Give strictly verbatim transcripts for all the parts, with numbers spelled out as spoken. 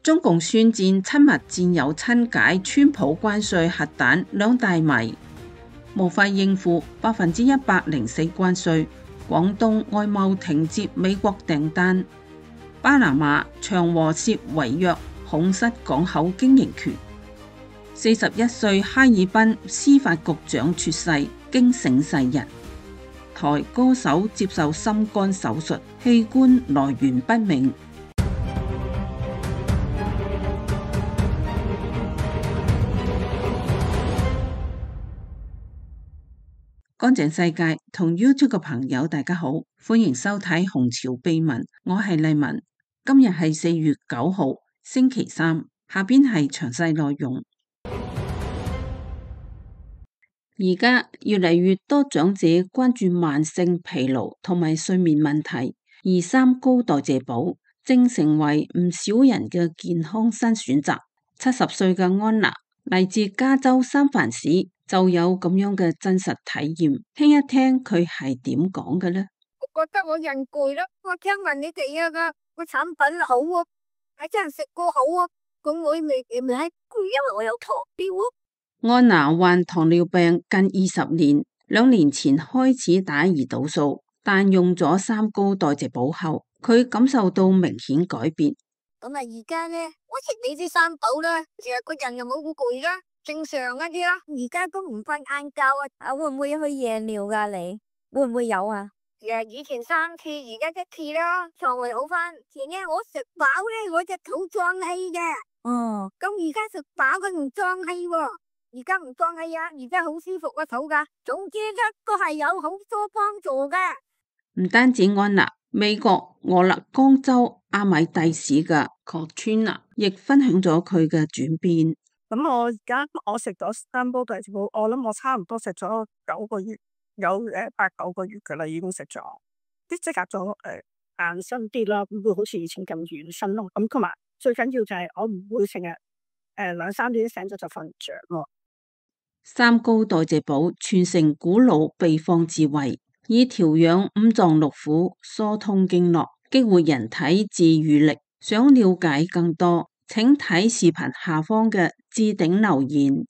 中共宣戰親密戰友親解川普關稅核彈兩大謎，無法應付百分之一百零四關稅。廣東外貿停接美國訂單。巴拿馬長和涉違約恐失港口經營權。四十一歲哈爾濱司法局長猝逝，驚醒世人。台歌手接受心肝手術，器官來源不明。乾淨世界同 YouTube 嘅朋友大家好，歡迎收睇紅潮秘聞，我係麗文。今日係四月九號星期三，下邊係詳細內容。而家越嚟越多長者關注慢性疲勞同埋睡眠問題，而三高代謝寶正成為唔少人嘅健康新選擇。七十歲嘅安娜嚟自加州三藩市，就有咁樣嘅真實體驗，聽一聽佢係點講嘅呢？我覺得我人攰啦，我聽聞你哋啊個個產品好啊，係真係食過好啊，咁我未未係攰，因為我有糖尿啊。安娜患糖尿病近二十年，兩年前開始打胰島素，但用咗三高代謝寶後，佢感受到明顯改變。咁啊，而家咧，我食你啲三寶啦，其實個人又冇咁攰啦，正常一啲啦。而家都唔瞓晏覺啊，啊會唔會去夜尿噶？你會唔會有啊？誒，以前三次，而家一次啦，腸胃好翻。前日我食飽咧，我隻肚脹氣嘅。哦，咁而家食飽佢唔脹氣喎。而家唔脹氣啊，而家好舒服個肚噶。總之一個係有好多幫助噶。唔單止安娜，美國俄勒岡州阿米蒂市嘅 Katrina 亦分享咗佢嘅轉變。咁我而家我食咗三煲代謝寶，我諗我差唔多食咗九個月，有誒八九個月噶啦，已經食咗。啲即刻咗誒硬身啲啦，唔會好似以前咁軟身咯。咁同埋最緊要就係我唔會成日誒兩三點醒咗就瞓唔着咯。三高代謝寶傳承古老秘方智慧，以調養五臟六腑、疏通經絡、激活人體自癒力。想了解更多，請睇視頻下方嘅置頂留言。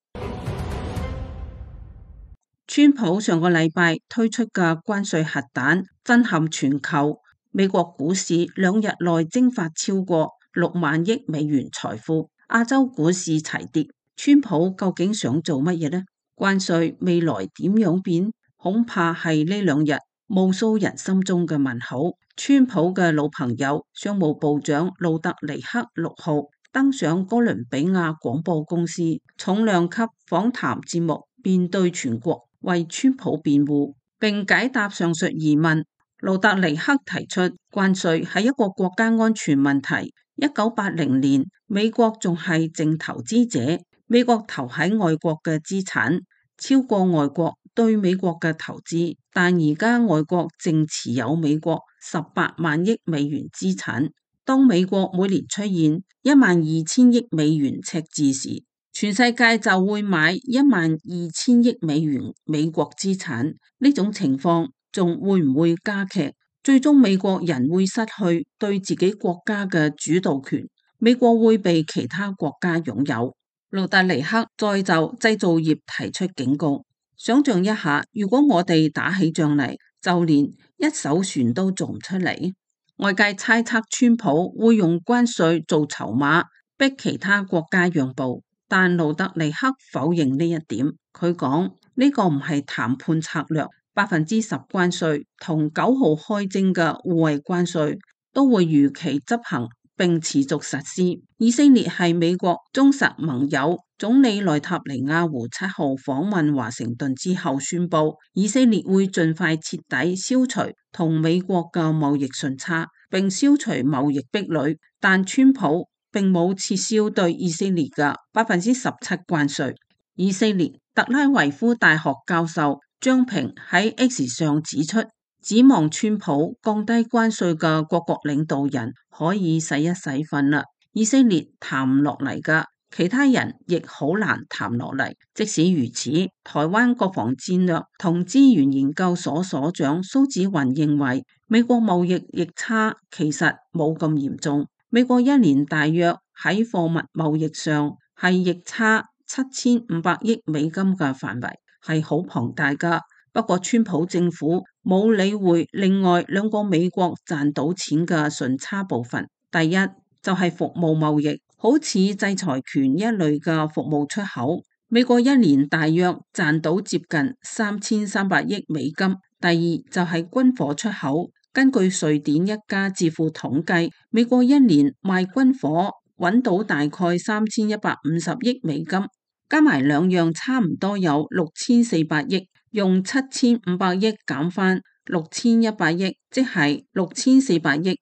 川普上個禮拜推出嘅關稅核彈震撼全球，美國股市兩日內蒸發超過六萬億美元財富，亞洲股市齊跌。川普究竟想做乜嘢呢？關稅未來點樣變？恐怕係呢兩日無數人心中嘅問號。川普嘅老朋友商務部長路德尼克六號登上哥倫比亞廣播公司重量級訪談節目，面對全國為川普辯護，並解答上述疑問。路德尼克提出關稅係一個國家安全問題。一九八零年，美國仲係淨投資者。美國投喺外國嘅資產超過外國對美國嘅投資，但而家外國淨持有美國十八萬億美元資產。當美國每年出現一萬二千億美元赤字時，全世界就會買一萬二千億美元美國資產。呢種情況仲會唔會加劇？最終美國人會失去對自己國家嘅主導權，美國會被其他國家擁有。路德尼克再就製造業提出警告，想象一下，如果我哋打起仗嚟，就連一艘船都做唔出嚟。外界猜測川普會用關稅做籌碼，逼其他國家讓步，但路德尼克否認呢一點。佢講呢個唔係談判策略，百分之十關稅同九號開徵嘅互惠關稅都會如期執行，並持續實施。以色列係美國忠實盟友，總理內塔尼亞胡七號訪問華盛頓之後宣布，以色列會盡快徹底消除同美國嘅貿易順差，並消除貿易壁壘。但川普並冇撤銷對以色列嘅百分之十七關稅。以色列特拉維夫大學教授張平喺 X 上指出，指望川普降低關稅嘅各國領導人可以洗一洗瞓啦，以色列談唔落嚟噶，其他人亦好難談落嚟。即使如此，台灣國防戰略同資源研究所所長蘇紫雲認為，美國貿易逆差其實冇咁嚴重，美國一年大約喺貨物貿易上係逆差七千五百億美金嘅範圍，係好龐大噶。不過川普政府冇理會另外兩個美國賺到錢嘅順差部分。第一就係服務貿易，好似制裁權一類嘅服務出口，美國一年大約賺到接近三千三百億美金。第二就係軍火出口，根據瑞典一家智庫統計，美國一年賣軍火揾到大概三千一百五十億美金，加埋兩樣差唔多有六千四百億，用七千五百億減翻六千一百億，即係六千四百億，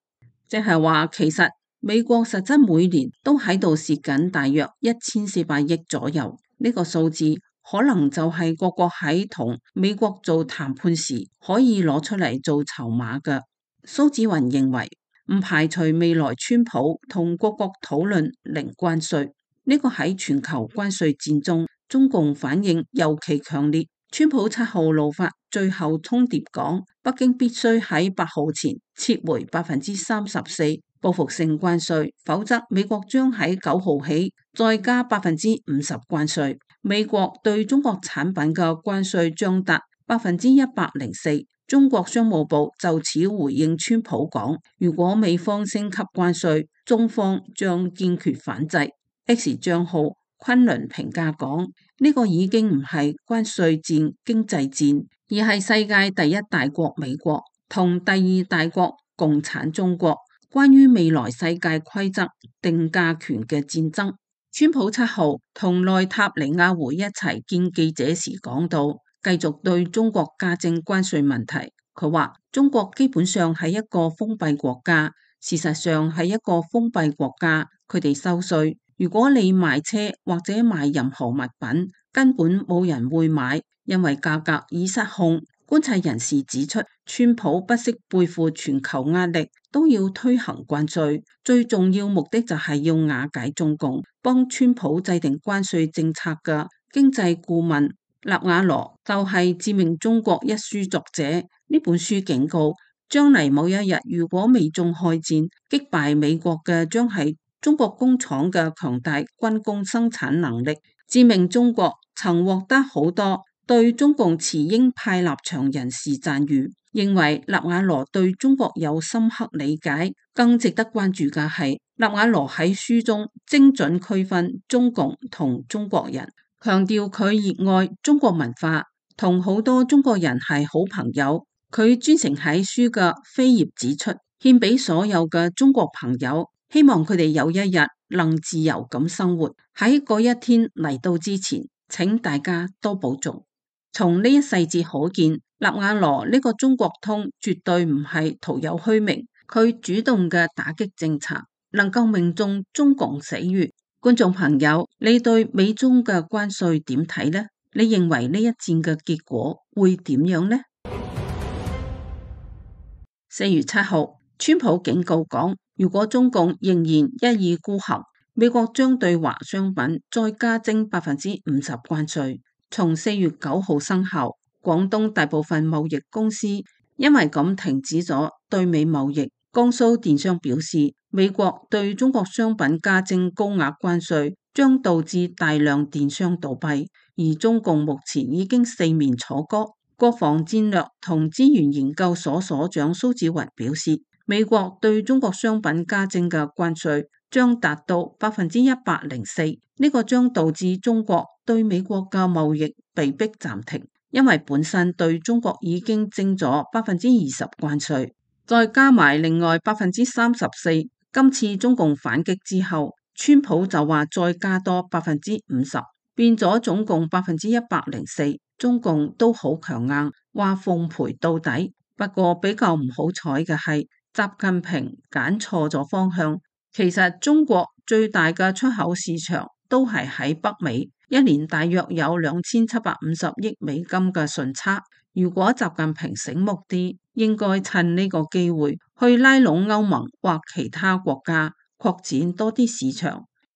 即係話其實美國實質每年都喺度蝕緊大約一千四百億左右。呢個數字可能就係各國喺同美國做談判時可以攞出嚟做籌碼嘅。蘇紫雲認為唔排除未來川普同各國討論零關稅，呢個喺全球關稅戰中中共反應尤其強烈。川普七號怒發最後通牒講，北京必須喺八號前撤回百分之三十四報復性關稅，否則美國將喺九號起再加百分之五十關稅。美國對中國產品嘅關稅將達百分之一百零四。中國商務部就此回應川普講，如果美方升級關稅，中方將堅決反制。X 賬號昆侖評價講，呢個已經唔係關稅戰、經濟戰，而係世界第一大國美國同第二大國共產中國關於未來世界規則定價權嘅戰爭。川普七號同內塔尼亞胡一齊見記者時講到，繼續對中國加徵關稅問題。佢話中國基本上係一個封閉國家，事實上係一個封閉國家，佢哋收稅。如果你賣車或者賣任何物品，根本冇人會買，因為價格已失控。觀察人士指出，川普不惜背負全球壓力，都要推行關稅，最重要目的就係要瓦解中共。幫川普制定關稅政策嘅經濟顧問納瓦羅就係《致命中國》一書作者，呢本書警告，將嚟某一日如果美中開戰，擊敗美國嘅將係中國工廠嘅強大軍工生產能力。《致命中國》曾獲得好多對中共持鷹派立場人士讚譽，認為納瓦羅對中國有深刻理解。更值得關注嘅係，納瓦羅喺書中精準區分中共同中國人，強調佢熱愛中國文化，同好多中國人係好朋友。佢專程喺書嘅扉頁指出，獻俾所有嘅中國朋友，希望佢哋有一日能自由咁生活。喺嗰一天嚟到之前，請大家多保重。從呢一細節可見，納瓦羅呢個中國通絕對唔係徒有虛名，佢主動嘅打擊政策能夠命中中共死穴。觀眾朋友，你對美中嘅關稅點睇呢？你認為呢一戰嘅結果會點樣呢？四月七號，川普警告講，如果中共仍然一意孤行，美國將對華商品再加徵百分之五十關稅。從四月九號生效，廣東大部分貿易公司因為咁停止咗對美貿易。江蘇電商表示，美國對中國商品加徵高額關稅，將導致大量電商倒閉。而中共目前已經四面楚歌。國防戰略同資源研究所所長蘇紫雲表示，美國對中國商品加徵嘅關稅將達到百分之一百零四，呢個將導致中國對美國嘅貿易被迫暫停，因為本身對中國已經徵咗百分之二十關稅，再加埋另外百分之三十四。今次中共反擊之後，川普就話再加多百分之五十，變咗總共百分之一百零四。中共都好強硬，話奉陪到底。不過比較唔好彩嘅係，習近平揀錯咗方向。其實中國最大嘅出口市場都係喺北美，一年大約有兩千七百五十億美金嘅順差。如果習近平醒目啲，應該趁呢個機會去拉攏歐盟或其他國家，擴展多啲市場，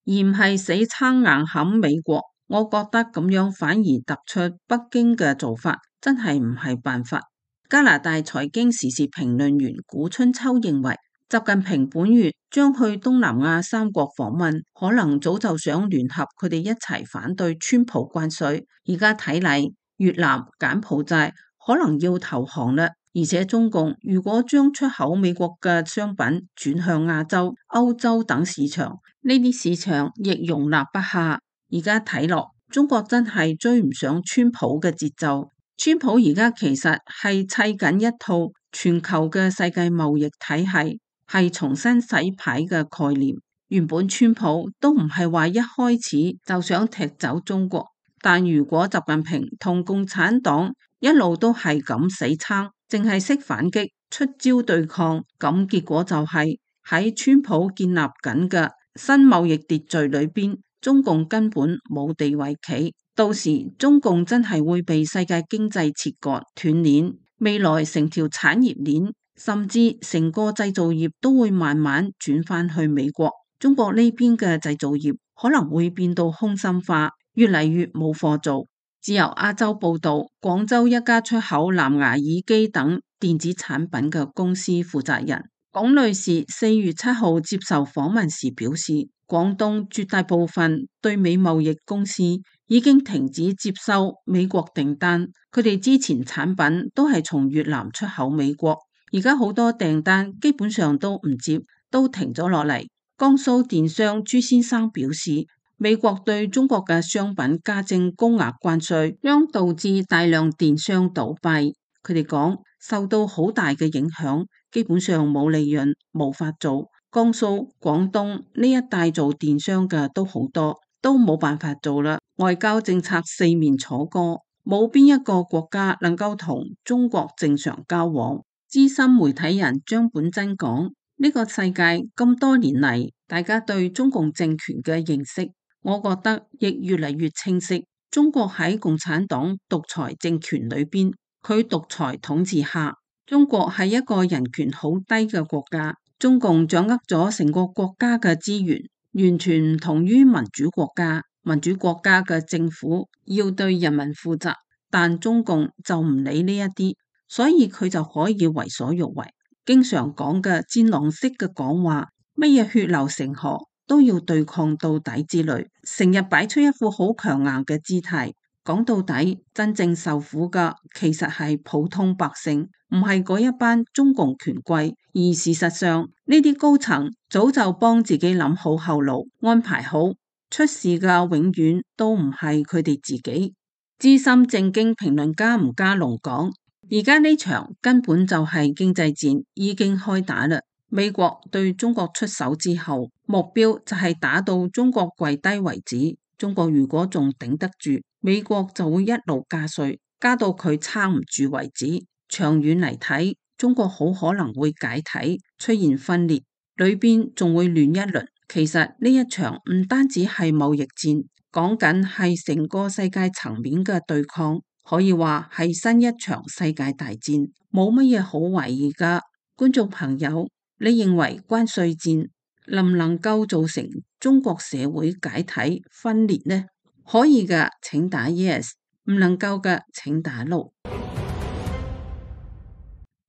而唔係死撐硬冚美國。我覺得咁樣反而突出北京嘅做法，真係唔係辦法。加拿大財經時事評論員古春秋認為，習近平本月將去東南亞三國訪問，可能早就想聯合佢哋一齊反對川普關稅。而家睇嚟，越南、柬埔寨可能要投降啦。而且中共如果將出口美國嘅商品轉向亞洲、歐洲等市場，呢啲市場亦容納不下。而家睇落，中國真係追唔上川普嘅節奏。川普而家其實係砌緊一套全球嘅世界貿易體系，係重新洗牌嘅概念。原本川普都唔係話一開始就想踢走中國，但如果習近平同共產黨一路都係咁死撐，淨係識反擊、出招對抗，咁結果就係喺川普建立緊嘅新貿易秩序裏邊，中共根本冇地位企。到時中共真係會被世界經濟切割斷鏈，未來成條產業鏈甚至成個製造業都會慢慢轉翻去美國。中國呢邊嘅製造業可能會變到空心化，越嚟越冇貨做。自由亞洲報道，廣州一家出口藍牙耳機等電子產品嘅公司負責人龔女士四月七號接受訪問時表示，廣東絕大部分對美貿易公司已經停止接收美國訂單，佢哋之前產品都係從越南出口美國，而家好多訂單基本上都唔接，都停咗落嚟。江蘇電商朱先生表示，美國對中國嘅商品加徵高額關稅，將導致大量電商倒閉。佢哋講受到好大嘅影響，基本上冇利潤，無法做。江蘇、廣東呢一帶做電商嘅都好多，都冇辦法做啦。外交政策四面楚歌，冇邊一個國家能夠同中國正常交往。資深媒體人張本真講，呢個世界咁多年嚟，大家對中共政權嘅認識，我覺得亦越嚟越清晰。中國喺共產黨獨裁政權裏邊，佢獨裁統治下，中國係一個人權好低嘅國家。中共掌握咗成個國家嘅資源，完全唔同於民主國家。民主國家嘅政府要對人民負責，但中共就唔理呢一啲，所以佢就可以為所欲為。經常講嘅戰狼式嘅講話，乜嘢血流成河都要對抗到底之類，成日擺出一副好強硬嘅姿態。講到底，真正受苦嘅其實係普通百姓，唔係嗰一班中共權貴。而事實上，呢啲高層早就幫自己諗好後路，安排好，出事嘅永遠都唔係佢哋自己。資深正經評論家吳家龍講，而家呢場根本就係經濟戰已經開打啦。美國對中國出手之後，目標就係打到中國跪低為止。中國如果仲頂得住，美國就會一路加稅，加到佢撐唔住為止。長遠嚟睇，中國好可能會解體，出現分裂，裏邊仲會亂一輪。其實呢一場唔單止係貿易戰，講緊係成個世界層面嘅對抗，可以話係新一場世界大戰，冇乜嘢好懷疑噶。觀眾朋友，你認為關稅戰能唔能夠造成中國社會解體分裂呢？可以嘅，請打 yes； 唔能夠嘅，請打 no。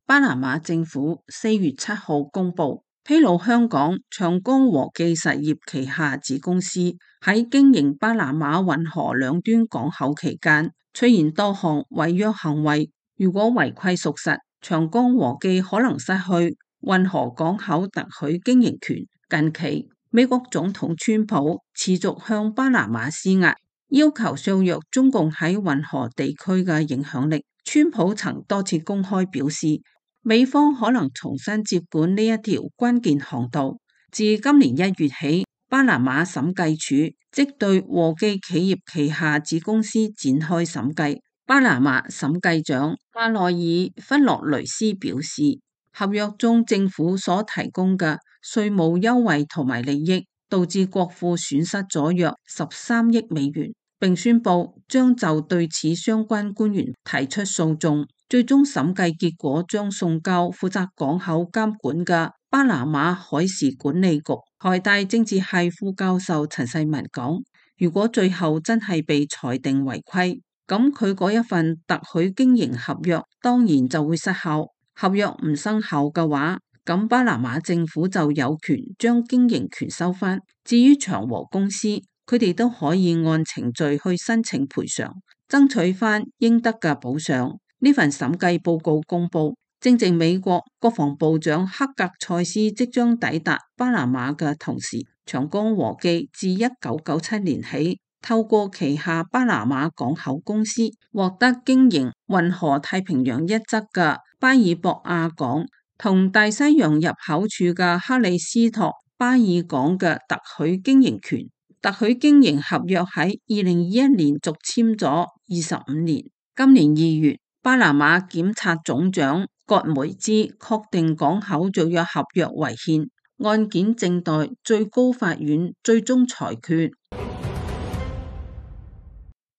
巴拿馬政府四月七號公布，披露香港長江和記實業旗下子公司喺經營巴拿馬運河兩端港口期間，出現多項違約行為。如果違規屬實，長江和記可能失去運河港口特許經營權。近期，美國總統川普持續向巴拿馬施壓，要求削弱中共喺運河地區嘅影響力。川普曾多次公開表示，美方可能重新接管呢一條關鍵航道。自今年一月起，巴拿馬審計署即對和記企業旗下子公司展開審計。巴拿馬審計長阿內爾弗洛雷斯表示，合約中政府所提供嘅稅務優惠同埋利益，導致國庫損失咗約十三億美元，並宣布將就對此相關官員提出訴訟。最終審計結果將送交負責港口監管嘅巴拿馬海事管理局。台大政治系副教授陳世文講，如果最後真係被裁定違規，咁佢嗰一份特許經營合約當然就會失效。合約唔生效嘅話，咁巴拿馬政府就有權將經營權收返。至於長和公司，佢哋都可以按程序去申請賠償，爭取返應得嘅補償。呢份審計報告公佈，正值美國國防部長克格塞斯即將抵達巴拿馬嘅同時，長江和記自一九九七年起，透過旗下巴拿馬港口公司獲得經營運河太平洋一側嘅巴爾博亞港同大西洋入口處嘅克里斯托巴爾港嘅特許經營權。特許經營合約喺二零二一年續簽咗二十五年。今年二月，巴拿馬檢察總長葛梅茲確定港口續約合約違憲，案件正待最高法院最終裁決。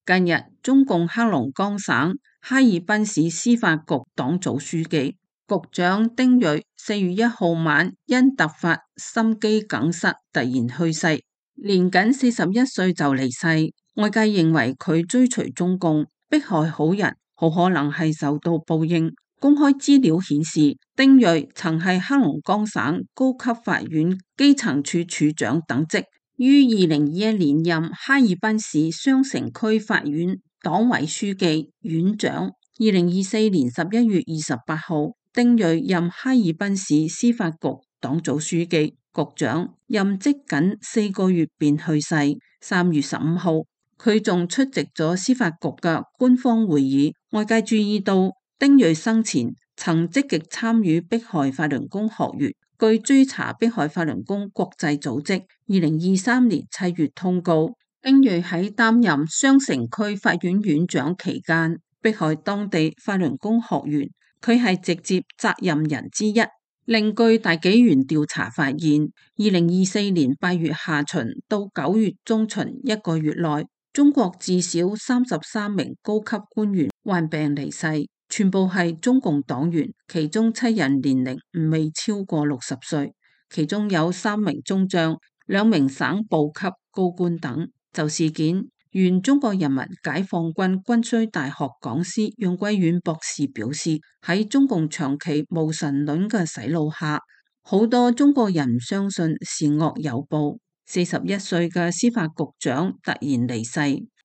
近日，中共黑龍江省哈爾濱市司法局黨組書記、局長丁瑞四月一號晚因突發心肌梗塞突然去世，年僅四十一歲就離世。外界認為佢追隨中共，迫害好人，好可能係受到報應。公開資料顯示，丁瑞曾係黑龍江省高級法院基層處處長等職，於二零二一年任哈爾濱市雙城區法院黨委書記、院長。二零二四年十一月二十八號，丁瑞任哈爾濱市司法局黨組書記、局長，任職僅四個月便去世。三月十五號，佢仲出席咗司法局嘅官方會議。外界注意到，丁瑞生前曾積極參與迫害法輪功學員。據追查迫害法輪功國際組織，二零二三年七月通告，丁瑞喺擔任雙城區法院院長期間迫害當地法輪功學員，佢係直接責任人之一。另據大紀元調查發現，二零二四年八月下旬到九月中旬一個月內，中國至少三十三名高級官員患病離世，全部係中共黨員，其中七人年齡未超過六十歲，其中有三名中將、兩名省部級高官等。就事件，原中國人民解放軍軍需大學講師楊貴遠博士表示，喺中共長期無神論嘅洗腦下，好多中國人唔相信善惡有報。四十一歲嘅司法局長突然離世，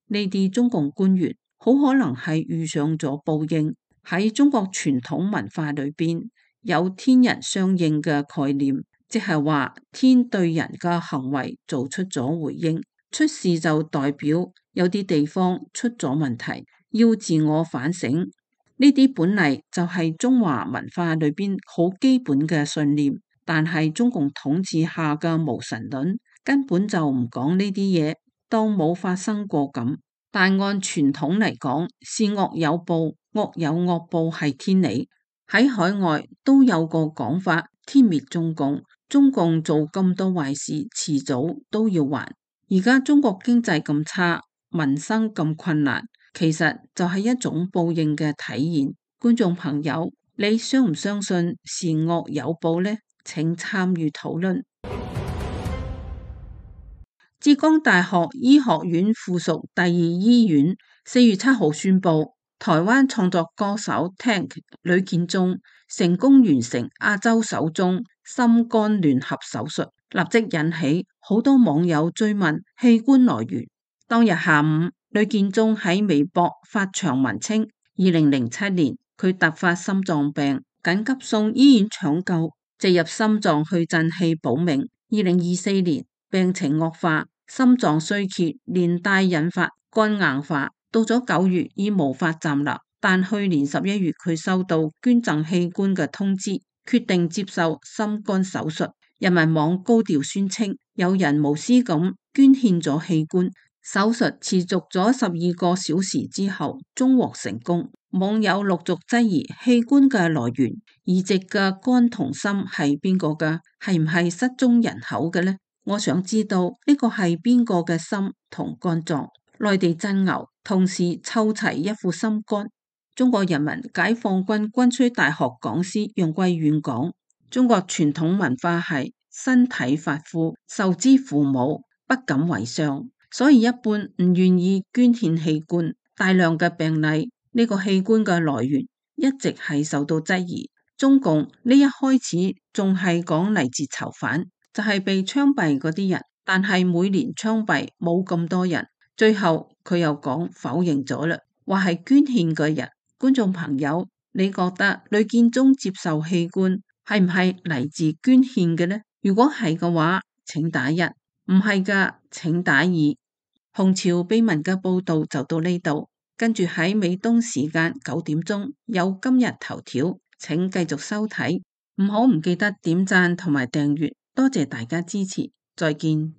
呢啲中共官員好可能係遇上咗報應。喺中國傳統文化裏邊，有天人相應嘅概念，即係話天對人嘅行為做出咗回應。出事就代表有啲地方出咗問題，要自我反省。呢啲本嚟就係中華文化裏邊好基本嘅信念，但係中共統治下嘅無神論根本就唔講呢啲嘢，當冇發生過咁。但按傳統嚟講，善惡有報，惡有惡報係天理。喺海外都有個講法，天滅中共，中共做咁多壞事，遲早都要還。而家中國經濟咁差，民生咁困難，其實就係一種報應嘅體現。觀眾朋友，你相唔相信善惡有報呢？請參與討論。浙江大學醫學院附屬第二醫院四月七號宣布，台灣創作歌手 Tank 呂建中成功完成亞洲首宗心肝聯合手術，立即引起好多網友追問器官來源。當日下午，呂建中喺微博發長文稱，二零零七年佢突發心臟病，緊急送醫院搶救，植入心臟去震器保命。二零二四年病情惡化，心臟衰竭，連帶引發肝硬化。到咗九月已無法站立，但去年十一月佢收到捐贈器官嘅通知，決定接受心肝手術。人民網高調宣稱，有人無私咁捐獻咗器官，手術持續咗十二個小時之後，終獲成功。網友陸續質疑器官嘅來源，移植嘅肝同心係邊個嘅？係唔係失蹤人口嘅呢？我想知道呢個係邊個嘅心同肝臟？內地真牛，同時湊齊一副心肝。中國人民解放軍軍需大學講師楊貴遠講，中國傳統文化係身體髮膚，受之父母，不敢為上，所以一般唔願意捐獻器官。大量嘅病例，呢個器官嘅來源一直係受到質疑。中共呢一開始仲係講嚟自囚犯，就係被槍斃嗰啲人，但係每年槍斃冇咁多人。最後佢又講否認咗啦，話係捐獻嘅人。觀眾朋友，你覺得呂建中接受器官係唔係嚟自捐獻嘅呢？如果係嘅話，請打一；唔係嘅，請打二。紅潮秘聞嘅報道就到呢度，跟住喺美東時間九點鐘有今日頭條，請繼續收睇，唔好唔記得點讚同埋訂閱，多謝大家支持，再見。